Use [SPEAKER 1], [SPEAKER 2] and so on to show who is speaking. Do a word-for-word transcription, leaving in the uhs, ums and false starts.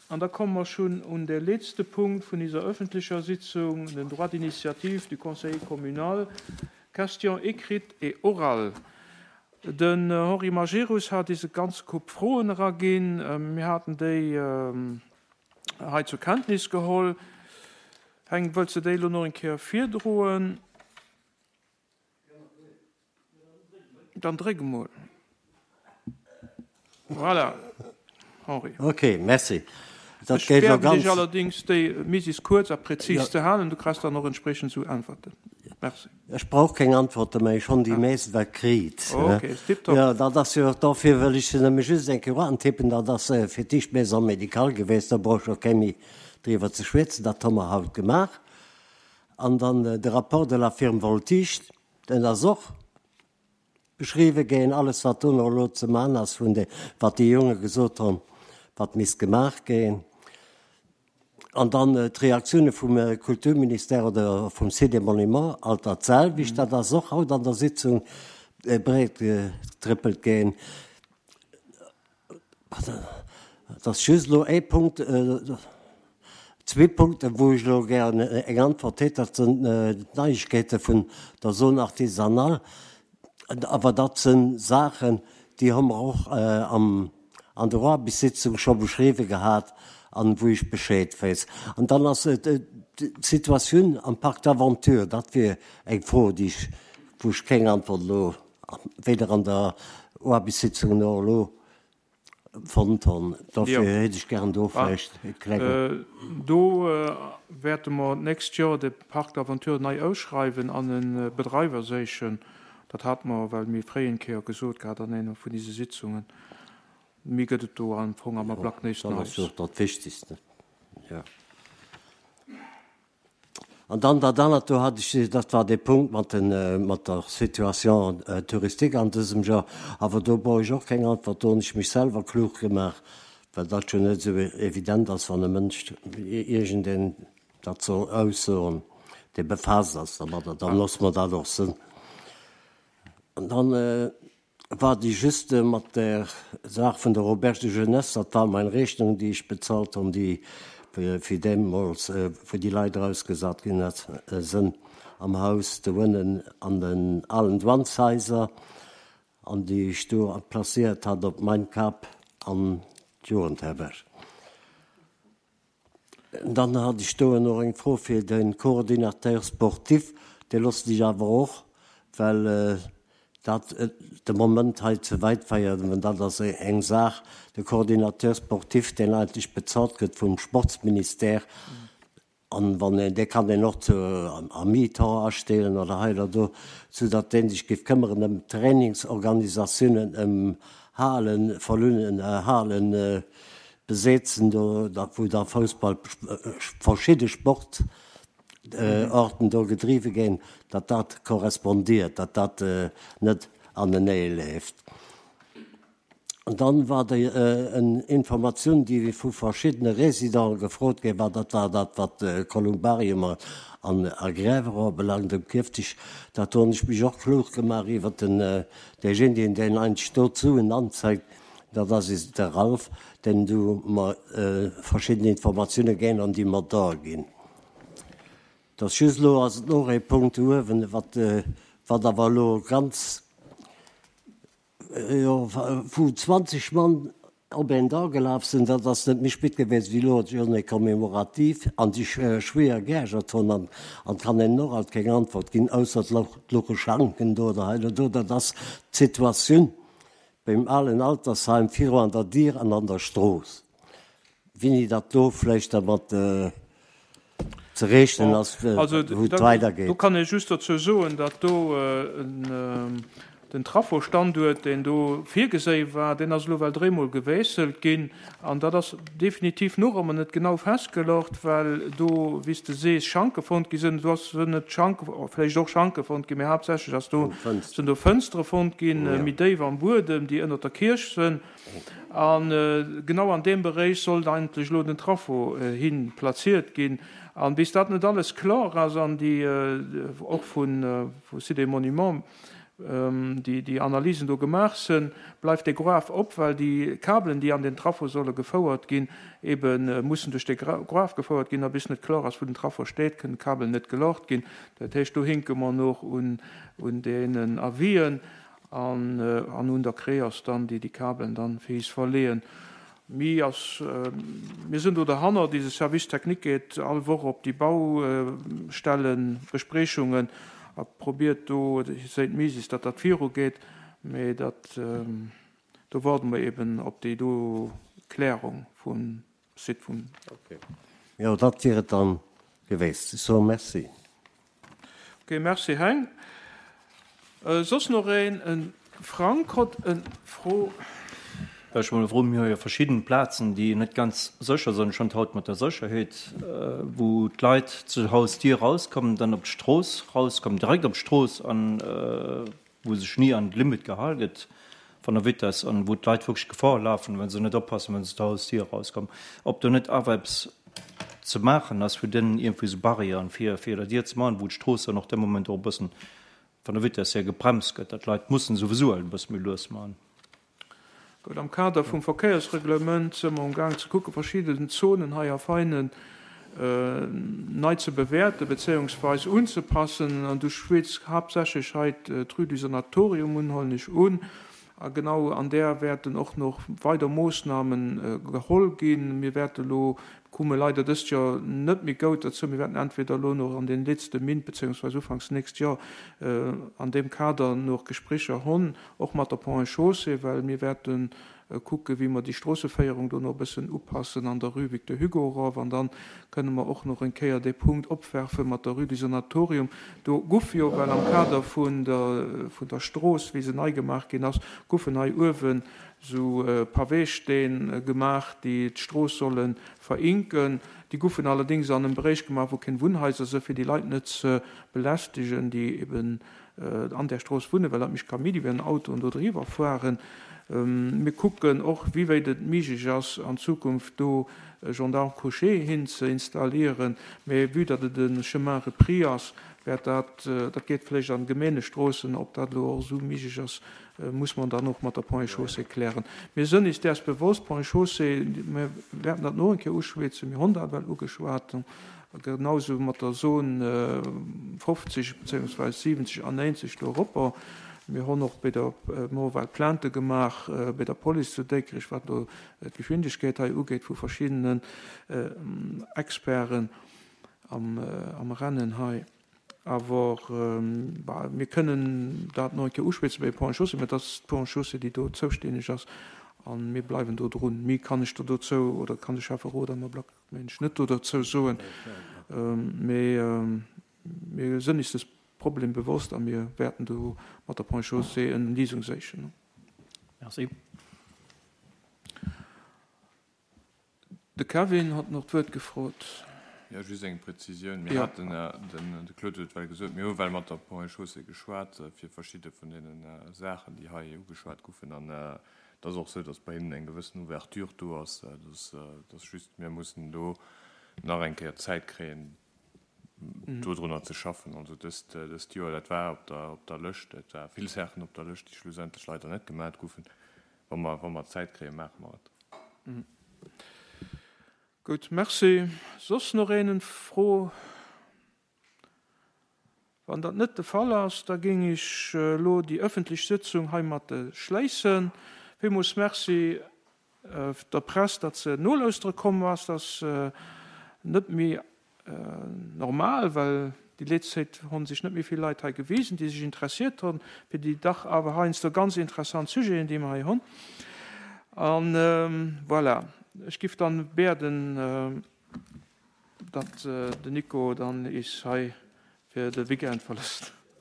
[SPEAKER 1] An da komme mer schonn un de letzte Punkt vun dieser öffentlicher Sitzung, den Droit d'initiative du Conseil communal. Question écrite et orale. Den Henri Majerus hat eis e ganz Koup Froen eraginn. Mir haten déi hei zur Kenntnis geholl. Heng, wëlls de déi elo nach eng Kéier virdroen? Dann dréck emol. Voilà, Henri.
[SPEAKER 2] Ok, merci.
[SPEAKER 1] Dat Ech geet elo bieden dech ganz. allerdings, déi misis kuerz a präzis ze halen. Du kriss dann och entsprechend zu Äntwerten. Merci.
[SPEAKER 2] Ech brauch keng Antworte méi, ech hunn déi meescht wat kritt.
[SPEAKER 1] Ok, tipptopp.
[SPEAKER 2] Jo, dat ass jo, dofir wëll ech se nëmme just eng Kéier antippen, dat ass fir d'éischt Maison médicale gewiescht, do brauch ech och keng méi driwwer ze schwätzen, dat hu mer haut gemaach. An dann de Rapport de la firme Voltige, deen ass och beschriwwe ginn, alles wat do nach elo ze man ass vun de, wat déi Jonge gesot hunn, wat misst gemaach ginn. An dann d'Reaktioune vum Kulturministère oder vum Site des Monuments, alt dat selwecht, dat ass och haut an der Sitzung breet getrëppelt ginn. Et ass just elo ee Punkt, zwee Punkten, wou ech elo gären eng Antwort hätt, dat sinn d'Neiegkeete vun der Zone artisanale. Awer dat si Saachen, déi hu mer och am an der Aarbechtssitzung scho beschriwwe gehat an wou ech Bescheed weess. An dann ass d'Situatioun am Parc d'aventure, dat wier eng Fro, déi ech, wou ech keng Antwort elo weder an der Aarbechtssitzung noch elo fonnt hunn. Dofir hätt ech gären do vläicht e klenge.
[SPEAKER 1] Do wäerte mer d'nächst Joer de Parc d'aventure nei ausschreiwen an e Bedreiwer séichen. Dat hate mer well méi fréi eng Kéier gesot gehat an enger vun dise Sitzungen. Méi gëtt et do am Fong am Ablack näischt
[SPEAKER 2] Neies. Dat ass jo och dat Wichtigste, jo. An dann dat anert, do hat ech, dat war dee Punkt mat den, mat der Situation touristique an dësem Joer, awer do brauch ech och keng Antwort, do hunn ech mech selwer klug gemaach, well dat jo net esou evident ass, wann e Mënsch iergendeen dat soll aussoen, dee befaasst ass dermadder, dann loosse mer dat och sënn. An dann war déi just mat der Saach vun der Auberge de jeunesse, dat war meng Rechnung, déi ech bezahlt hunn, déi fir deemools, wou déi Leit erausgesat ginn sënn am Haus do ënnen an den alen Douaneshaiser, an déi ech do placéiert hat op mein Kap an d'Jugendherberg. Dann hat ech do nach eng Fro fir de Coordinateur sportif, dee loossen ech awer och, well dat de Moment hei ze wäit féiert, mä dat ass eng Saach, de Coordinateur sportif, deen eigentlech bezahlt gëtt vum Sportsministère, an wann een, dee kann een och zu à mi-temps astellen oder hei oder do, soudatt dee sech géif këmmeren ëm Trainingsorganisatiounen, ëm Halen, Verlunen, Halen, besetzen, do wou da Foussball, verschidde Sportarten do gedriwwe ginn, datt dat korrespondiert, datt dat net anenee leeft. An dann war déi en Informatioun, déi vu verschiddene Résidenten gefrot gi war, dat war dat, wat Kolumbarium an a Gräwerer belangt um Kierftisch. Dat hunn ech mech och klug gemaach iwwert den deejéinegen, deen eigentlech do d'Suen anzeigt, Dat ass is de Ralph, deen du mer verschidden Informatioune géint an déi mer der ginn. Et ass just elo ass et och ee Punkt do uewen, wat wat awer elo ganz, jo, wou zwanzeg Mann op een da gelaf sinn, dat ass net méi spit gewiescht wéi elo d'Journée commémorative, an sech schwéier geärgert hunn an an kann een och alt keng Antwort ginn, ausser et louche Schanken do oder hei oder do. Dat ass d'Situatioun. Beim alen Altersheim viru an der Dier an an der Strooss. Wéini datt do vläicht dermat ze rechnen ass, wou et weidergeet.
[SPEAKER 1] Do kann ee just dozou soen, datt do den Trafostanduert, deen do virgeséi war, deen ass elo well dréimol gewiesselt ginn. An dat ass definitiv nach ëmmer net genau festgelocht, well do, wéi s de sees, Schanke fonnt gi sinn. Do ass net Schanke, vläicht och Schanke fonnt ginn, mee haaptsächlech ass do, sinn do Fënstere fonnt ginn, méi déif am Buedem, déi ënnert der Kierch sinn. A genau an deem Beréich sollt eigentlech elo den Traffo hi plaziert ginn. An bis dat net alles kloer ass an déi och vu Sites et Monuments déi déi Analysen do gemaach sënn, bleift dee Gruef op, well déi Kabelen, déi an den Trafo solle gefouert ginn, ebe mussen duerch dee Gruef gefouert ginn. A bis net kloer ass, wou den Trafo steet, kënnen d'Kabelen net gelocht ginn. Dat heescht, do hinke mer nach un un deenen Avisen an an un der Creos dann, déi déi Kabelen dann fir is verleeën. Mi ass, mir sinn do derhannert, dise Service technique geet all Woch op déi Baustellenbespriechungen a probiert do, séit Mises, datt dat virugeet, mee dat, do waarde mer eben op déi do Klärung vum Site vum.
[SPEAKER 2] Okay. Jo, dat wier et dann geweest. Ech soe Merci.
[SPEAKER 1] Okay, Merci Heng. Soss nach een? En Frank hott en Fro.
[SPEAKER 3] Ech mol froen, mir hu jo verschidden Plazen, déi net ganz sécher sinn, schonn haut mat der Sécherheet, wou d'Leit zur Hausdier rauskommen, dann op d'Strooss rauskommen, direkt op d'Strooss, an wou sech ni an d'Limit gehal gëtt vun der Vitess an wou d'Leit wierklech Gefor lafen, wa se net oppassen, wa se zur Hausdier rauskommen, ob do net awer eppes ze maachen ass, fir deenen iergendwéi esou Barrièren vir vir der Dier ze maachen, wou d'Strooss dann och dee Moment och e bëssen vun der Vitess hier gebremst gëtt, datt d'Leit mussen souwisou e bësse méi lues maachen.
[SPEAKER 1] Gutt, am Kader vum Verkéiersreglement si mer um Gaang ze kucken, verschidden Zonen hei a Veinen nei ze bewäerten bezéiungsweis unzepassen. An du schwätz haaptsächlech hei d'Rue du Sanatorium un, huelen ech un. A genau an där wäerten och nach weider Moossname geholl ginn. Mir wäerte elo, komme leider dëst Joer net méi gout derzou, mir wäerten entweder elo nach an den letzte Mint bezéiungsweis ufanks nächst Joer an deem Kader nach Gesprécher hunn, och mat der Ponts et Chaussées, well mir wäerte kucken, wéi mer déi Stroosseféierung do nach e bëssen upassen an der Rue Victor Hugo erof. An da kënne mer och nach eng Kéier dee Punkt opwerfe mat der Rue du Sanatorium. Do guff jo, well am Kader vun der, vun der Strooss, wéi se nei gemaach ginn ass, guffen hei uewen esou Paweesteen gemaach, déi d'Strooss solle verinken. Déi guffen allerdéngs an engem Beréich gemaach, wou keng Wunnhaiser sinn, fir déi Leit net ze belästegen, déi eben an där Strooss wunnen, well dat mécht Kaméidi, wenn Autoen do driwwer fueren. Mir kucken och, wéi wéit et méiglech ass, an Zukunft do e Gendarme couché hin ze installieren. Mee vue datt et e Chemin repris ass, wäert dat, dat geet vläicht an Gemeengestroossen, ob dat elo och esou méiglech ass, muss mer dann och mat der Ponts et Chaussées klären. Mir sënn is däers bewosst, Ponts et Chaussées, mir wäerten dat no eng Kéier uschwätzen, mir honn dat well ugeschwat, genausou mat der Zone fofzeg bezéiungsweis siwenzeg an néinzeg do eropper. Mir honn och bei der, mir hu well Plainte gemaach bei der Police zu Déikrech, wat do d'Geschwindegkeet hei ugeet vu verschiddenen Experten am, am Rennen hei. Awer bah, mir kënnen dat nach eng Kéier uschwätzen bei Ponts et Chaussées, mä dat ass d'Ponts et Chaussées, déi do zoustänneg ass a mir bleiwen do drun. Méi kann ech der dozou oder kann de Schäfferot am Ablack, mengen ech, net do derzou soen. Mee mir sënn is des Problem bewosst a mir wäerten do mat der Ponts et Chaussées en Lisung séichen.
[SPEAKER 3] Merci.
[SPEAKER 1] De Kevin hat nach d'Wuert gefrot.
[SPEAKER 4] Jo, just eng Präzisioun. Mir haten, den Claude huet et well gesot, mir hu well mat der Ponts et Chaussées geschwat fir verschidde vun deene Saachen, déi hei ugeschwat goufen. An et ass och esou, datt bei hinnen eng gewëssen Ouverture do ass. Et ass just, mir mussen do nach eng Kéier Zäit kréien, dodrunner ze schaffen. Also dëst, dëst Joer, dat war op der, op der Lëscht, et war vill Saachen op der Lëscht, déi schlussendlech leider net gemat goufen. Wa mer, wa mer Zäit kréien, maache mer et.
[SPEAKER 1] Gutt, merci. Soss nach een en Fro? Wann dat net de Fall ass, da géing ech elo déi ëffentlech Sëtzung heimat schléissen. Villmools Merci der Press, datt se nolauschtere komm ass. Dat ass net méi normal, well déi letzte Zäit hu sech net méi vill Leit hei gewisen, déi sech interessiert hunn fir déi dach awer heiansdo ganz interessant Sujeten, déi mer hei hunn. An voilà, ech giff dann bieden, datt den Nico dann is hei fir de Weekend verlësst.